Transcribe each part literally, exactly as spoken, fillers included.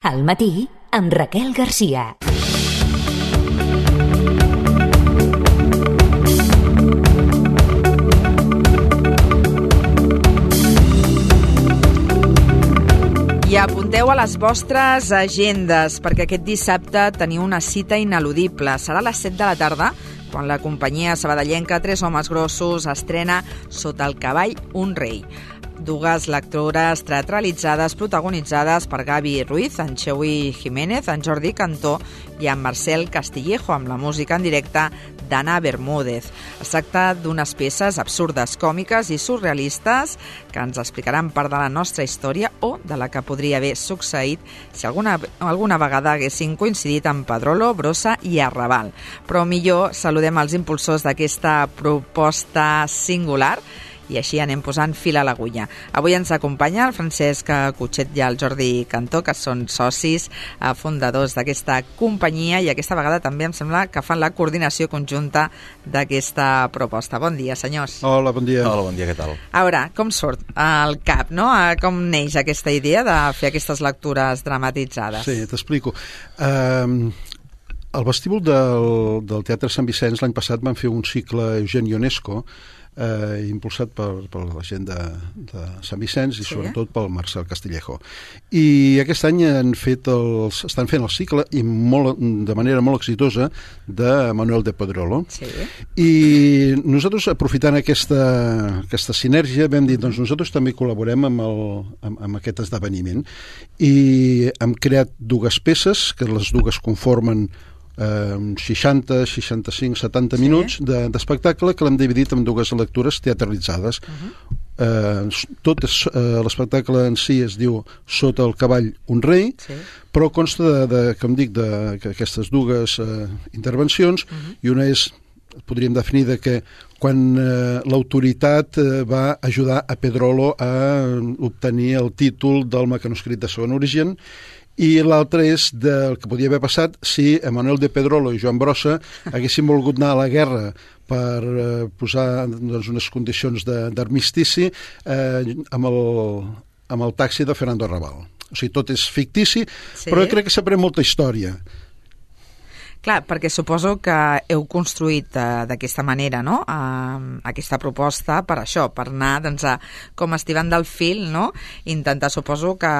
Al matí, amb Raquel Garcia. I apunteu a les vostres agendes, perquè aquest dissabte teniu una cita ineludible. Serà a les set de la tarda, quan la companyia sabadellenca Tres Homes Grossos estrena Sota el cavall, un rei. Dues lectures teatralitzades protagonitzades per Gaby Ruiz, en Xeui Jiménez, en Jordi Cantó i en Marcel Castillejo, amb la música en directe d'Anna Bermúdez. Es tracta d'unes peces absurdes, còmiques i surrealistes que ens explicaran part de la nostra història o de la que podria haver succeït si alguna, alguna vegada haguessin coincidit amb Pedrolo, Brossa i Arrabal. Però millor saludem els impulsors d'aquesta proposta singular i així anem posant fil a l'agulla. Avui ens acompanya el Francesc Cutxet i el Jordi Cantó, que són socis fundadors d'aquesta companyia i aquesta vegada també em sembla que fan la coordinació conjunta d'aquesta proposta. Bon dia, senyors. Hola, bon dia. Hola, bon dia, què tal? A veure, com surt al cap, no? Com neix aquesta idea de fer aquestes lectures dramatitzades? Sí, t'explico. Um, al vestíbul del, del Teatre Sant Vicenç l'any passat van fer un cicle Eugenio Ionesco, Eh, impulsat per, per la gent de, de Sant Vicenç i sí, sobretot pel Marcel Castillejo. I aquest any han fet els, estan fent el cicle i molt, de manera molt exitosa de Manuel de Pedrolo. Sí. I nosaltres, aprofitant aquesta, aquesta sinergia, vam dir, doncs nosaltres també col·laborem amb, el, amb, amb aquest esdeveniment i hem creat dues peces, que les dues conformen Eh, seixanta, seixanta-cinc, setanta sí. minuts de, d'espectacle que l'hem dividit en dues lectures teatralitzades. Uh-huh. eh, tot és, eh, l'espectacle en si es diu Sota el cavall, un rei, sí. però consta de, de, com dic, d'aquestes dues eh, intervencions, uh-huh. i una és, podríem definir, de que quan eh, l'autoritat eh, va ajudar a Pedrolo a obtenir el títol del mecanoscrit de segon origen, i l'altre és del que podia haver passat si Manuel de Pedrolo i Joan Brossa haguessin volgut anar a la guerra per eh, posar doncs, unes condicions de, d'armistici eh, amb, el, amb el taxi de Fernando Arrabal. O sigui, tot és fictici, sí. però crec que s'aprèn molta història. Clar, perquè suposo que heu construït eh, d'aquesta manera, no?, eh, aquesta proposta per això, per anar, doncs, a, com estivant del fil, no?, intentar, suposo que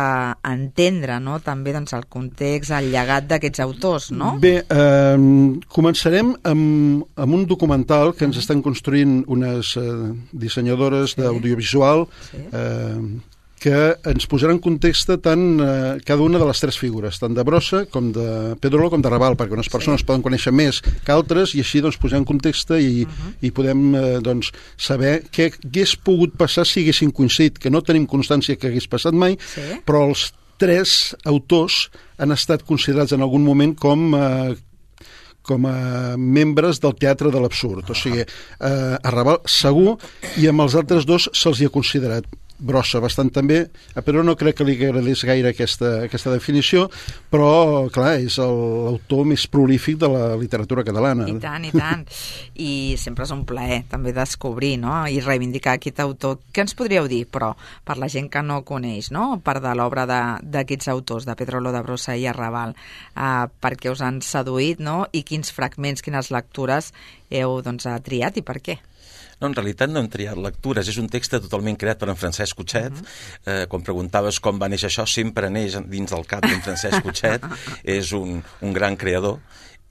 entendre, no?, també, doncs, el context, el llegat d'aquests autors, no? Bé, eh, començarem amb, amb un documental que ens estan construint unes eh, dissenyadores sí. d'audiovisual sí. eh, que ens posarà en context tant eh, cada una de les tres figures, tant de Brossa com de Pedrolo com de Raval, perquè unes persones sí. poden conèixer més que altres i així doncs, posar en context i, uh-huh. i podem eh, doncs, saber què hagués pogut passar si haguessin coincidit, que no tenim constància que hagués passat mai, sí. però els tres autors han estat considerats en algun moment com eh, com a membres del teatre de l'absurd. O sigui, eh, a Raval segur i amb els altres dos se'ls hi ha considerat. Brossa bastant també, però no crec que li agradés gaire aquesta, aquesta definició, però, clar, és el, l'autor més prolífic de la literatura catalana. I tant, i tant. I sempre és un plaer també descobrir, no?, i reivindicar aquest autor. Què ens podríeu dir, però, per la gent que no coneix, no?, part de l'obra de, d'aquests autors, de Pedrolo, de Brossa i Arrabal, eh, perquè us han seduït, no?, i quins fragments, quines lectures heu, doncs, triat i per què? No, en realitat no hem triat lectures, és un text totalment creat per en Francesc Cutxet. Uh-huh. Eh, quan preguntaves com va néixer això, sempre neix dins del cap d'en Francesc Cutxet, és un, un gran creador.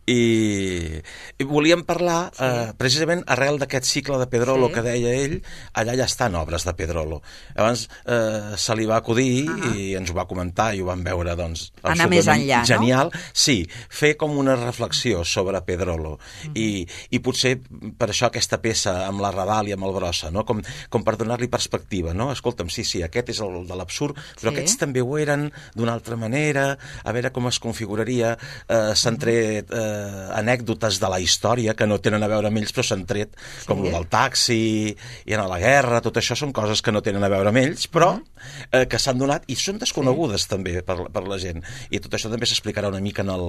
I, i volíem parlar sí. eh, precisament arrel d'aquest cicle de Pedrolo sí. que deia ell, allà ja estan obres de Pedrolo. Abans eh, se li va acudir uh-huh. i ens ho va comentar i ho vam veure, doncs, anar més enllà, genial. No? Sí, fer com una reflexió sobre Pedrolo uh-huh. I, i potser per això aquesta peça amb la Raval i amb el Brossa, no? com, com per donar-li perspectiva, no? Escolta'm, sí, sí, aquest és el de l'absurd, però sí. aquests també ho eren d'una altra manera, a veure com es configuraria, eh, s'han tret eh, anècdotes de la història que no tenen a veure amb ells però s'han tret, sí. com el del taxi i anar a la guerra, tot això són coses que no tenen a veure amb ells però eh, que s'han donat i són desconegudes sí. també per, per la gent, i tot això també s'explicarà una mica en el,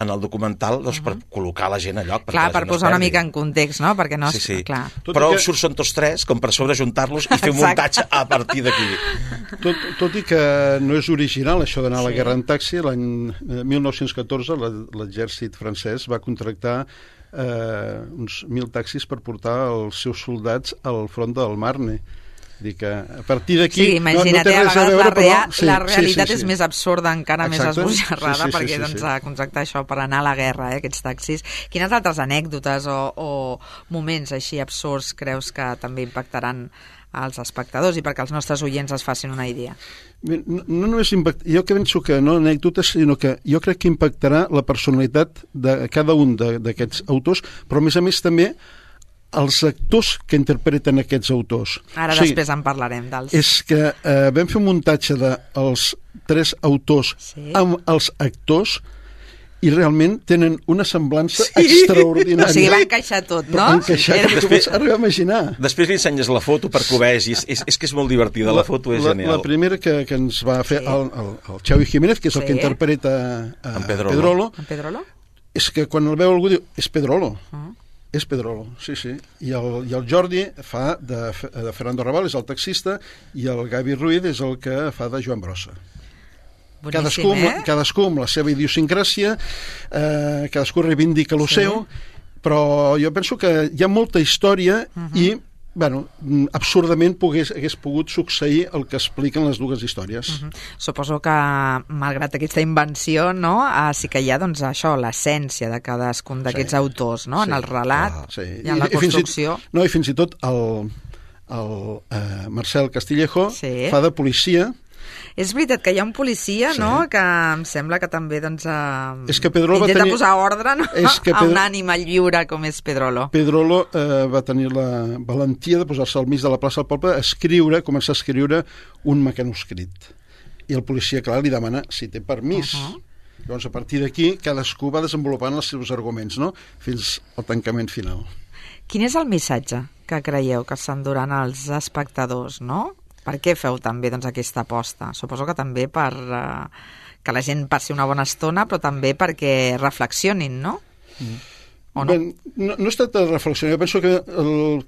en el documental doncs, per col·locar la gent a lloc. Clar, per posar una mica en context, no? Perquè no... Sí, sí. Clar. Però que... surts són tots tres, com per sobrejuntar-los i fer un muntatge a partir d'aquí. Tot, tot i que no és original això d'anar a la Sí. guerra en taxi, l'any mil nou-cents catorze l'exèrcit francès va contractar eh, uns mil taxis per portar els seus soldats al front del Marne. Dir que a partir d'aquí Sí, imagina't, no, no té res a veure, la, rea però... Sí, la realitat sí, sí, sí. és més absurda, encara Exacte. més esbojarrada, Sí, sí, sí, perquè sí, doncs, sí. a contractar això per anar a la guerra, eh, aquests taxis. Quines altres anècdotes o, o moments així absurds creus que també impactaran als espectadors i perquè els nostres oients es facin una idea? No, no només impact... Jo que penso que no anècdotes, sinó que jo crec que impactarà la personalitat de cada un d'aquests autors, però a més a més també els actors que interpreten aquests autors. Ara o sigui, després en parlarem dels... És que eh, vam fer un muntatge dels tres autors Sí. amb els actors i realment tenen una semblança sí. extraordinària. O sigui, va encaixar tot, no? Va encaixar, Era... que tu pots arribar a imaginar. Després li ensenyes la foto per que ho vegis. És, és que és molt divertida, la, la foto és la, genial. La primera que, que ens va fer Sí. el, el, el Xavi Jiménez, que és el Sí. que interpreta a En Pedrolo. Pedrolo, En Pedrolo? és que quan el veu algú diu, és Pedrolo. Uh. És Pedrolo, sí, sí. I el, i el Jordi fa de, de Fernando Raval, és el taxista, i el Gavi Ruiz és el que fa de Joan Brossa. Boníssim, Cadascú, eh? amb, cadascú amb la seva idiosincràsia, eh, cadascú reivindica lo Sí. seu, però jo penso que hi ha molta història uh -huh. i bueno, absurdament pogués, hagués pogut succeir el que expliquen les dues històries. Uh -huh. Suposo que, malgrat aquesta invenció, no, eh, sí que hi ha, doncs, això, l'essència de cadascun d'aquests Sí. autors, no? Sí. En el relat Ah, sí. i en la I, i fins i- construcció. No, i fins i tot el, el eh, Marcel Castillejo Sí. fa de policia. És veritat que hi ha un policia, Sí. no?, que em sembla que també, doncs, eh, És que Pedrolo va intenta tenir- posar ordre, no?, És que a un Pedro- ànima lliure com és Pedrolo. Pedrolo eh, va tenir la valentia de posar-se al mig de la plaça del poble a escriure, començar a escriure un mecanoscrit. I el policia, clar, li demana si té permís. Uh -huh. Llavors, a partir d'aquí, cadascú va desenvolupant els seus arguments, no?, fins al tancament final. Quin és el missatge que creieu que s'enduran els espectadors, no? Per què feu també, doncs, aquesta aposta? Suposo que també per eh, que la gent passi una bona estona, però també perquè reflexionin, no? Mm. O no? Ben, no, no es tracta de reflexionar. Jo penso que el,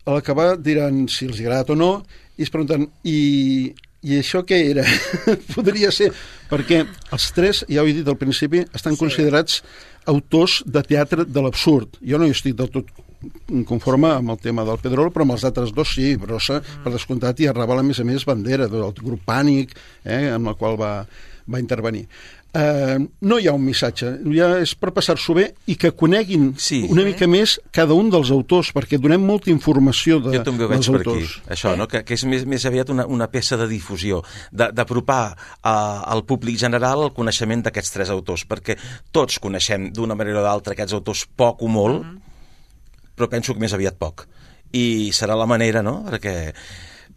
a l'acabar diran si els agrada o no, i es pregunten, i, i això què era? Podria ser, perquè els tres, ja ho he dit al principi, estan sí. considerats autors de teatre de l'absurd. Jo no hi estic del tot conforme amb el tema del Pedrolo, però amb els altres dos sí, Brossa, mm. per descomptat, i Arrabal, a més a més, bandera del grup Pànic, eh, amb el qual va, va intervenir. Uh, no hi ha un missatge, ja és per passar-s'ho bé i que coneguin sí. una mica més cada un dels autors, perquè donem molta informació de, jo també ho veig dels per autors. aquí, això, no? que, que és més, més aviat una, una peça de difusió, d'apropar al públic general el coneixement d'aquests tres autors, perquè tots coneixem d'una manera o d'altra aquests autors poc o molt, mm. però penso que més aviat poc. I serà la manera, no?, perquè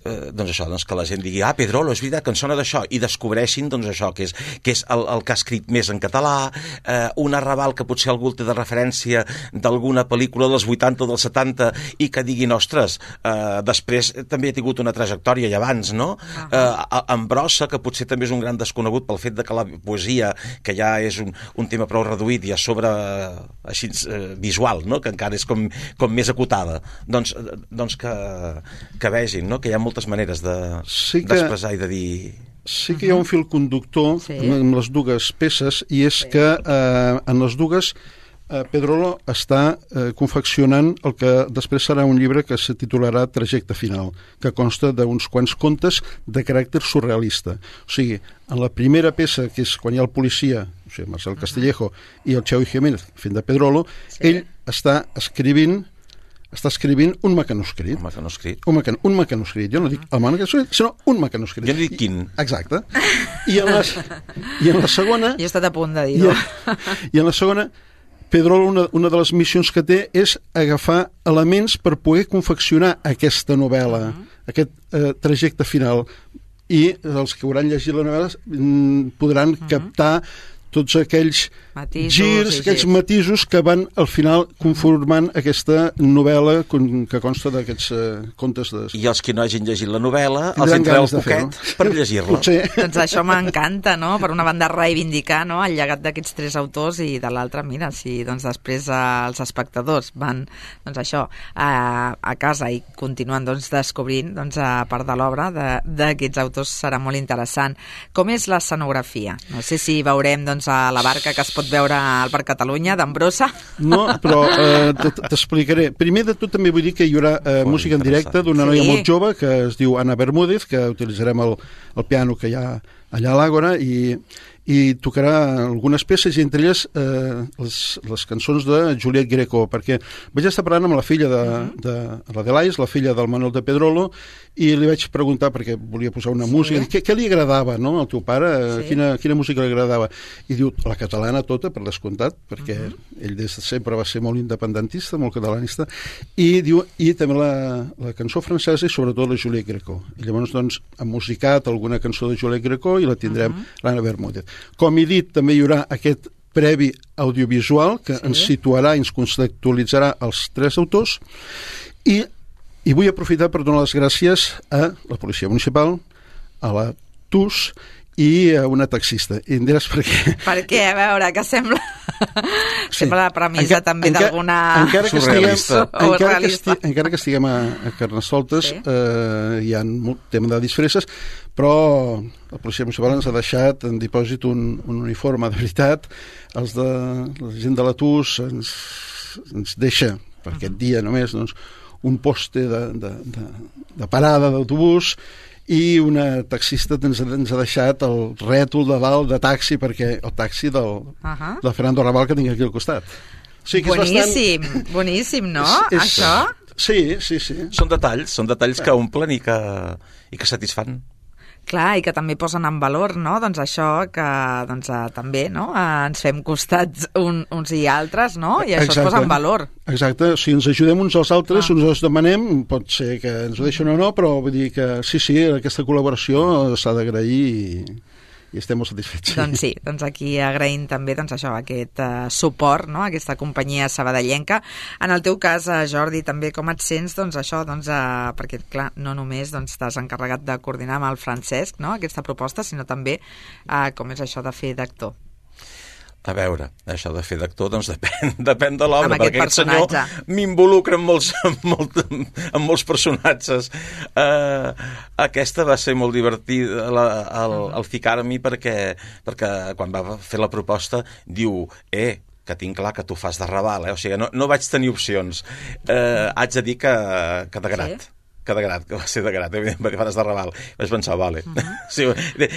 eh, doncs això, doncs que la gent digui, ah, Pedrolo, és veritat que en sona d'això, i descobreixin doncs això, que és, que és el, el que ha escrit més en català, eh, un Arrabal que potser algú té de referència d'alguna pel·lícula dels vuitanta o dels setanta i que diguin, ostres, eh, després també ha tingut una trajectòria i abans, no? Uh -huh. eh, en Brossa, que potser també és un gran desconegut pel fet de que la poesia, que ja és un, un tema prou reduït i a sobre eh, així eh, visual, no?, que encara és com, com més acotada, doncs, doncs que, que vegin, no?, que hi ha moltes maneres d'expressar de, sí que, i de dir... Sí que hi ha un fil conductor sí. amb les dues peces, i és sí. que eh, en les dues eh, Pedrolo està eh, confeccionant el que després serà un llibre que se titularà Trajecte final, que consta d'uns quants contes de caràcter surrealista. O sigui, en la primera peça, que és quan hi ha el policia, o sigui, Marcel Castillejo, uh -huh. i el Xavi Jiménez fent de Pedrolo, sí. ell està escrivint està escrivint un mecanoscrit. Un mecanoscrit. Un, mecan un mecanoscrit. Jo no dic el mecanoscrit, sinó un mecanoscrit. Jo no dic quin. Exacte. I en, les, i en la segona... Jo he estat a punt de dir-ho. I, I en la segona, Pedrolo, una, una de les missions que té és agafar elements per poder confeccionar aquesta novel·la, uh -huh. aquest eh, trajecte final. I els que hauran llegit la novel·la mm, podran uh -huh. captar tots aquells Matisos girs, i aquells girs. matisos que van al final conformant aquesta novel·la con- que consta d'aquests eh, contes de... I els que no hagin llegit la novel·la, els Tindran entreu el ganes de fer-ho. poquet per llegir-la. Potser. Doncs això m'encanta, no? Per una banda reivindicar, no?, el llegat d'aquests tres autors i de l'altra, mira, si doncs després eh, els espectadors van, doncs això, a, a casa i continuen doncs descobrint doncs a part de l'obra de- d'aquests autors serà molt interessant. Com és l'escenografia? No sé si veurem doncs a la barca que es pot veure al Parc Catalunya d'Ambrossa. No, però eh, t- t'explicaré. Primer de tot també vull dir que hi haurà eh, Molt música en directe interessant. d'una noia Sí. molt jove que es diu Anna Bermúdez, que utilitzarem el, el piano que hi ha allà a l'Àgora i, i tocarà algunes peces i entre elles eh, les, les cançons de Juliet Greco, perquè vaig estar parlant amb la filla de, de l'Adelais, la filla del Manuel de Pedrolo, i li vaig preguntar, perquè volia posar una Sí. música, què, què li agradava, no?, al teu pare, Sí. quina, quina música li agradava, i diu, la catalana tota, per descomptat, perquè uh -huh. ell des de sempre va ser molt independentista, molt catalanista, i diu, i també la, la cançó francesa i sobretot la Juliet Greco. I llavors, doncs, han musicat alguna cançó de Juliet Greco i la tindrem uh -huh. l'Anna Bermúdez. Com he dit, també hi haurà aquest previ audiovisual que Sí. ens situarà i ens conceptualitzarà els tres autors i, i vull aprofitar per donar les gràcies a la Policia Municipal, a la T U S i a una taxista. I em diràs per què. Perquè, a veure, que sembla... Sí. Sembla la premissa Enca- també enca- d'alguna... encara que estiguem, surrealista. o encara que, realista. esti, encara que estiguem a, a Carnestoltes, Sí. eh, hi ha un tema de disfresses, però la policia municipal ens ha deixat en dipòsit un, un uniforme de veritat. Els de la gent de la T U S ens, ens deixa per aquest dia només doncs, un poste de, de, de, de parada d'autobús i una taxista ens, ens ha deixat el rètol de dalt de taxi, perquè el taxi del, Uh -huh. del Fernando Raval que tinc aquí al costat. O sigui que és Boníssim, bastant... boníssim, no? És- és- Això? Sí, sí, sí. Són detalls, són detalls que omplen i que, i que satisfan. Clar, i que també posen en valor, no?, doncs això que doncs, eh, també, no?, eh, ens fem costats un, uns i altres, no?, i això Exacte. es posa en valor. Exacte, si ens ajudem uns als altres, Clar. uns els demanem, pot ser que ens ho deixen o no, però vull dir que sí, sí, aquesta col·laboració s'ha d'agrair i, i estem molt satisfets. Doncs sí, doncs aquí agraïm també doncs això, aquest uh, suport, no?, aquesta companyia sabadellenca. En el teu cas, uh, Jordi, també com et sents, doncs això, doncs, uh, perquè clar, no només doncs, t'has encarregat de coordinar amb el Francesc, no?, aquesta proposta, sinó també uh, com és això de fer d'actor. A veure, això de fer d'actor, doncs depèn, depèn de l'obra, Amb aquest perquè aquest senyor personatge. m'involucra en molts, en, molt, en molls personatges. Uh, aquesta va ser molt divertida, la, el, el ficar-m'hi perquè, perquè quan va fer la proposta diu, eh, que tinc clar que tu fas de Raval, eh? O sigui, no, no vaig tenir opcions. Uh, haig de dir que, que de grat. Sí? que de grat, que va ser de grat, evidentment, perquè faràs de Raval. Vaig pensar, vale. Uh -huh. sí,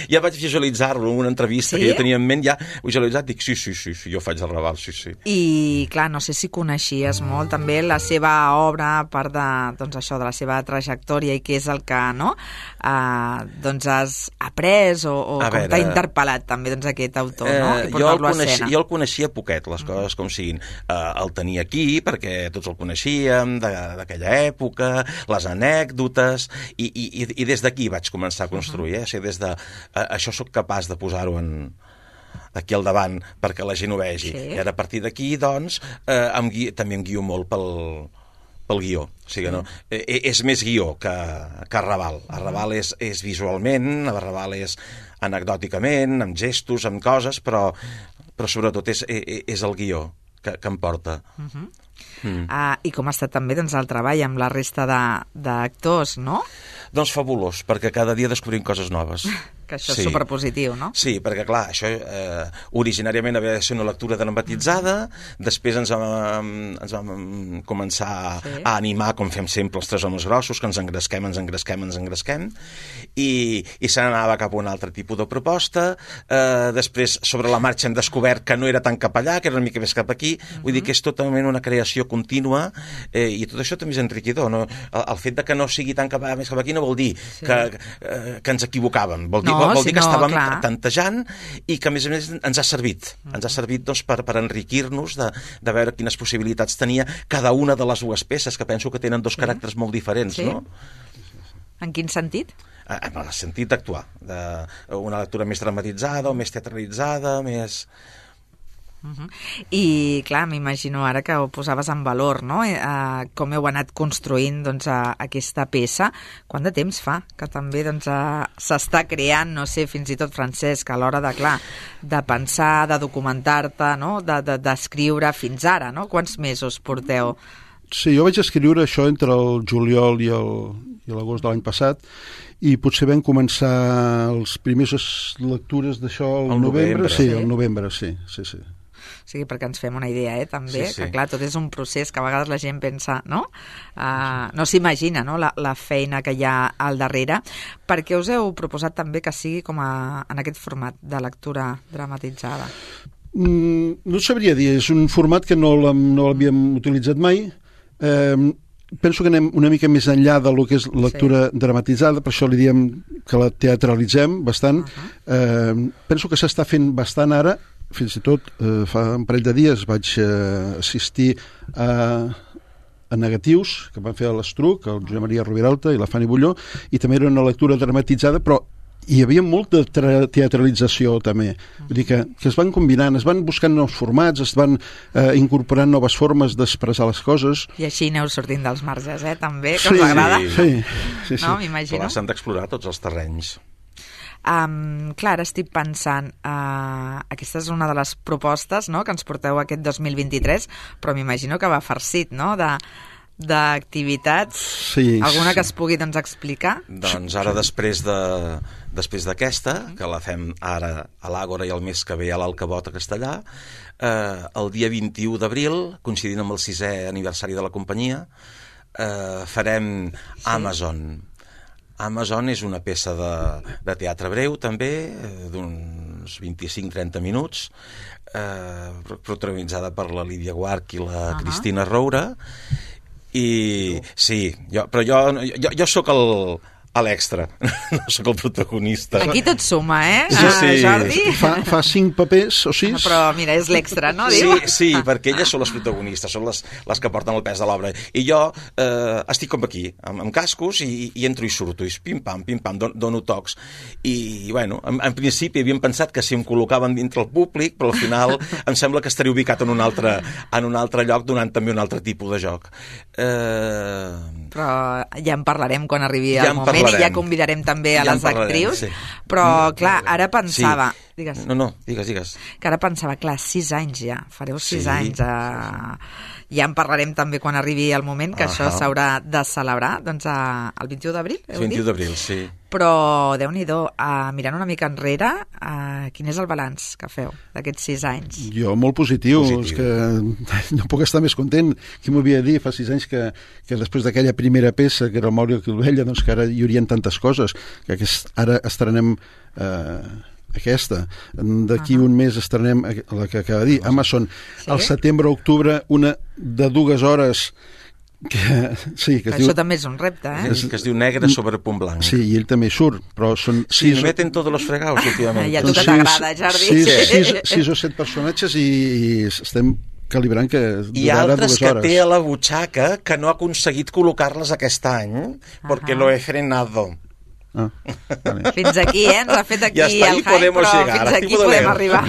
ja vaig visualitzar-lo en una entrevista Sí? que jo tenia en ment, ja visualitzat, dic, sí, sí, sí, sí, jo faig de Raval, sí, sí. I, clar, no sé si coneixies molt també la seva obra, a part de, doncs això, de la seva trajectòria i què és el que, no?, uh, doncs has après o, o A com veure, t'ha interpel·lat també doncs aquest autor, no?, Eh, i jo, el portar-lo a coneixia, escena. jo el coneixia poquet, les coses com siguin. Eh, el tenia aquí, perquè tots el coneixíem, de- d'aquella època, les anècdotes, i, i, i des d'aquí vaig començar a construir. Eh? O sigui, des de, eh, això sóc capaç de posar-ho en aquí al davant perquè la gent ho vegi. Sí. I ara a partir d'aquí, doncs, eh, em gui, també em guio molt pel, pel guió. O sigui, no? Eh, és més guió que, que Raval. A Raval és, és visualment, a Raval és anecdòticament, amb gestos, amb coses, però, però sobretot és, és, és el guió que, que em porta. Uh -huh. Mm. Uh, I com ha estat també doncs, el treball amb la resta de- d'actors, no? Doncs fabulós, perquè cada dia descobrim coses noves. Que això és superpositiu, no? Sí, perquè clar, això eh, originàriament havia de ser una lectura dramatitzada, després ens vam, ens vam començar Sí. a animar, com fem sempre els tres homes grossos, que ens engresquem, ens engresquem, ens engresquem, i, i se n'anava cap a un altre tipus de proposta. Eh, després, sobre la marxa, hem descobert que no era tan cap allà, que era una mica més cap aquí. Uh-huh. Vull dir que és totalment una creació contínua, eh, i tot això també és enriquidor. No? El, el fet de que no sigui tan cap allà, més cap aquí, no vol dir Sí. que, eh, que ens equivocàvem. Vol dir, No, vol, vol si dir que no, estàvem clar. tantejant i que, a més a més, ens ha servit. Uh-huh. Ens ha servit doncs, per, per enriquir-nos, de, de veure quines possibilitats tenia cada una de les dues peces, que penso que tenen dos Sí. caràcters molt diferents, Sí. no? En quin sentit? en el sentit d'actuar, de una lectura més dramatitzada o més teatralitzada, més... Uh-huh. I clar, m'imagino ara que ho posaves en valor, no? Eh, com heu anat construint doncs, a, aquesta peça. Quant de temps fa que també doncs, s'està creant, no sé, fins i tot Francesc, a l'hora de, clar, de pensar, de documentar-te, no? d'escriure de, de, fins ara, no? Quants mesos porteu? Sí, jo vaig escriure això entre el juliol i l'agost de l'any passat, i potser vam començar les primeres lectures d'això al novembre. Sí, al novembre, sí, sí, sí. O sigui, perquè ens fem una idea, eh, també, sí, sí. que clar, tot és un procés que a vegades la gent pensa, no? Uh, no s'imagina, no?, la, la feina que hi ha al darrere. Per què us heu proposat també que sigui com a, en aquest format de lectura dramatitzada? Mm, no et sabria dir, és un format que no l'havíem utilitzat mai. Eh, penso que anem una mica més enllà de lo que és lectura sí. dramatitzada, per això li diem que la teatralitzem bastant. Uh-huh. eh, penso que s'està fent bastant ara. Fins i tot eh, fa un parell de dies vaig eh, assistir a, a negatius que van fer a l'Estruc, el Josep Maria Roviralta i la Fanny Bulló, i també era una lectura dramatitzada, però hi havia molta teatralització també. Vull dir que, que es van combinant, es van buscant nous formats, es van eh, incorporant noves formes d'expressar les coses. I així aneu sortint dels marges, eh, també, que sí, us agrada. Sí, sí, sí. No, m'imagino. S'han d'explorar tots els terrenys. Um, clar, ara estic pensant, uh, aquesta és una de les propostes, no?, que ens porteu aquest dos mil vint-i-tres, però m'imagino que va farcit, no?, de d'activitats. Sí, alguna sí. que es pugui doncs, explicar? Doncs ara després de després d'aquesta, que la fem ara a l'Àgora i el mes que ve a l'Alcabot a Castellà, eh, el dia vint-i-u d'abril, coincidint amb el sisè aniversari de la companyia, eh, farem sí. Amazon. Amazon és una peça de, de teatre breu, també, d'uns vint-i-cinc a trenta minuts, eh, protagonitzada per la Lídia Guarch i la uh-huh. Cristina Roura. I sí, jo, però jo, jo, jo sóc el... a l'extra, no sóc el protagonista. Aquí tot suma, eh, sí, sí. Jordi? Fa, fa cinc papers o sis. Però mira, és l'extra, no? Sí, Diu? sí, perquè elles són les protagonistes, són les, les que porten el pes de l'obra. I jo eh, estic com aquí, amb, amb cascos, i, i entro i surto, i pim-pam, pim-pam, don, dono tocs. I, bueno, en, en principi havíem pensat que si em col·locaven dintre el públic, però al final em sembla que estaria ubicat en un altre, en un altre lloc, donant també un altre tipus de joc. Eh... Però ja en parlarem quan arribi ja el moment. I ja convidarem també a ja les actrius, sí. Però clar, ara pensava... Sí. Digues. No, no, digues, digues. Que ara pensava, clar, sis anys ja, fareu sis sí, anys. A... Ja en parlarem també quan arribi el moment, que uh-huh. això s'haurà de celebrar, doncs a... el vint-i-u d'abril, heu dit? vint-i-u d'abril, sí. Però, Déu-n'hi-do, uh, mirant una mica enrere, uh, quin és el balanç que feu d'aquests sis anys? Jo, molt positiu, positiu. És que no puc estar més content. Qui m'havia de dir fa sis anys que, que després d'aquella primera peça, que era el Mauri Quilvella, doncs que ara hi haurien tantes coses, que aquest, ara estrenem eh, aquesta. D'aquí uh-huh. un mes estrenem la que acaba de dir, Amazon. Sí? Al setembre-octubre, una de dues hores que, sí, que, que això diu, també és un repte, eh? Que, que es diu Negre sobre punt blanc. Sí, i ell també surt, però són sí, sis... meten tots els fregaus, últimament. I a tu que t'agrada, Jordi. Sis, sis, sis o set personatges i, i estem calibrant que hi ha altres que té a la butxaca que no ha aconseguit col·locar-les aquest any perquè uh-huh. lo he frenado. Ah, vale. Fins aquí, eh? Ens ha fet aquí ja el hype, però llegar, fins aquí podem arribar.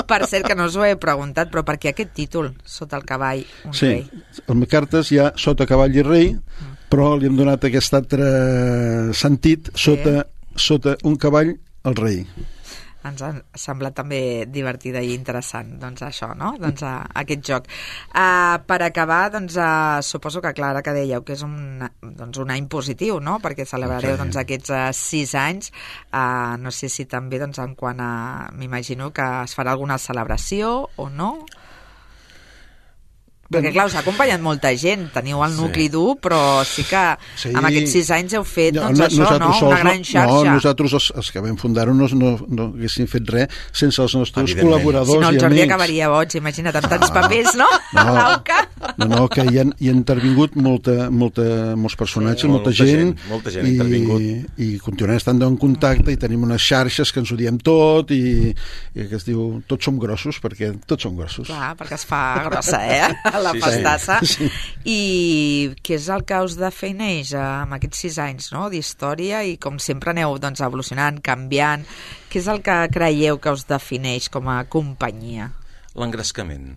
Per cert, que no us ho he preguntat, però per què aquest títol, Sota el cavall, un sí, rei? Sí, el Cartes hi ha Sota cavall i rei, mm. però li hem donat aquest altre sentit, sí. sota, sota un cavall, el rei. Ens ha semblat també divertida i interessant, doncs això, no? Doncs uh, aquest joc. Uh, per acabar, doncs uh, suposo que Clara, que dèieu que és un, doncs, un any positiu, no? Perquè celebrareu okay. doncs, aquests uh, sis anys. Uh, no sé si també, doncs, en quant a... M'imagino que es farà alguna celebració o no? Perquè, clar, us ha acompanyat molta gent, teniu el nucli sí. dur, però sí que sí. amb aquests sis anys heu fet no, doncs, no, això, no? Sols, una gran xarxa. No, nosaltres, els, els que vam fundar-ho, no, no, no haguéssim fet res sense els nostres col·laboradors i amics. Si no, el Jordi acabaria boig, imagina't, amb tants papers, no? No, a l'auca. No, no, que hi ha, hi ha intervingut molta, molta, molts personatges, sí, molta, molta gent, gent, molta gent i, i continuem estant en contacte i tenim unes xarxes que ens ho diem tot i, i que es diu, tots som grossos, perquè tots som grossos. Clar, perquè es fa grossa, eh? la Sí, pastassa. sí. I què és el que us defineix eh, amb aquests sis anys, no?, d'història, i com sempre aneu doncs, evolucionant, canviant. Què és el que creieu que us defineix com a companyia? L'engrescament.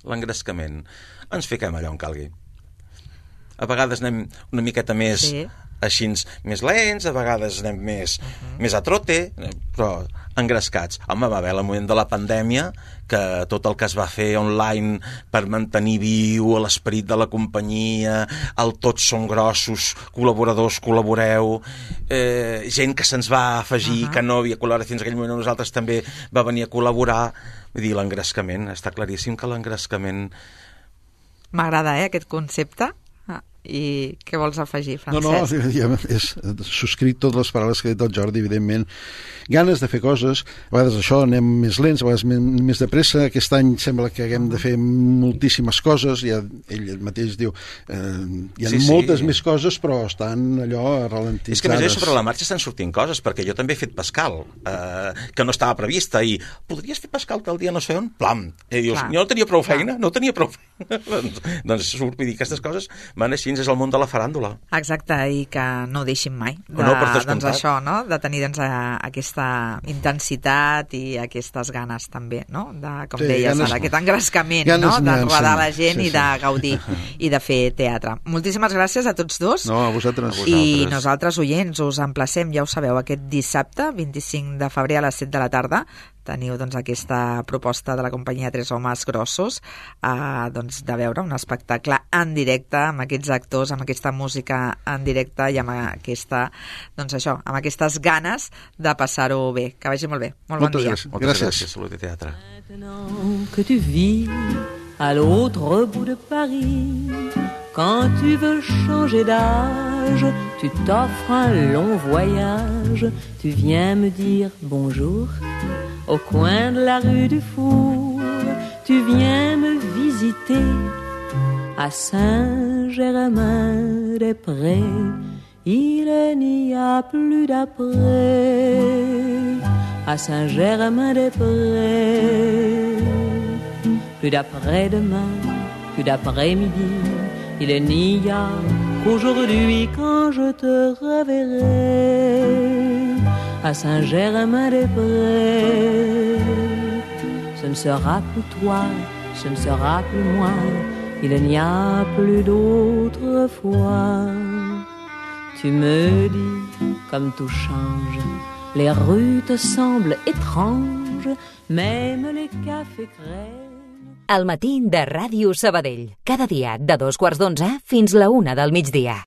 L'engrescament. Ens fiquem allà on calgui. A vegades anem una miqueta més sí. així, més lents, a vegades anem més, uh-huh. més a trote, però engrescats. Home, va haver el moment de la pandèmia que tot el que es va fer online per mantenir viu l'esperit de la companyia, el tots són grossos, col·laboradors, col·laboreu, eh, gent que se'ns va afegir, uh-huh. que no havia col·laborat fins aquell moment, nosaltres també va venir a col·laborar. Vull dir, l'engrescament, està claríssim que l'engrescament... M'agrada, eh, aquest concepte. I què vols afegir, Francesc? No, no, ja és, subscrit totes les paraules que ha dit el Jordi, evidentment. Ganes de fer coses, a vegades això, anem més lents, a vegades més, més de pressa. Aquest any sembla que haguem de fer moltíssimes coses, ja, ell mateix diu, eh, hi ha sí, moltes sí. més coses, però estan allò ralentitzades. És que a més sobre la marxa estan sortint coses, perquè jo també he fet Pascal, eh, que no estava prevista, i podries fer Pascal tal dia no sé on? Plam! I dius, jo no tenia prou feina, no tenia prou feina. doncs, doncs surt, vull dir, aquestes coses van així, és el món de la faràndula. Exacte, i que no deixin mai de, no, per doncs això, no? De tenir doncs, aquesta intensitat i aquestes ganes també, no? De, com sí, deies ganes, ara, aquest engrescament, no? De rodar la gent sí, sí. i de gaudir i de fer teatre. Moltíssimes gràcies a tots dos. No, a vosaltres. I nosaltres, oients, us emplacem, ja ho sabeu, aquest dissabte, vint-i-cinc de febrer a les set de la tarda, teniu doncs, aquesta proposta de la companyia Tres Homes Grossos eh, doncs, de veure un espectacle en directe amb aquests actors, amb aquesta música en directe i amb aquesta, doncs això, amb aquestes ganes de passar-ho bé. Que vagi molt bé. Molt Moltes bon dia. Gràcies. Moltes gràcies. gràcies. Salut i teatre. Maintenant que tu vis à l'autre bout de Paris, quand tu veux changer d'âge, tu t'offres un long voyage, tu viens me dire bonjour au coin de la rue du Four, tu viens me visiter à Saint-Germain-des-Prés, il n'y a plus d'après à Saint-Germain-des-Prés, plus d'après-demain, plus d'après-midi, il n'y a qu'aujourd'hui quand je te reverrai à Saint-Germain-des-Prés. Ce ne sera plus toi, ce ne sera plus moi, il n'y a plus d'autre fois. Tu me dis comme tout change, les rues te semblent étranges, même les cafés crèvent. El matí de Ràdio Sabadell. Cada dia de dos quarts d'onze fins la una del migdia.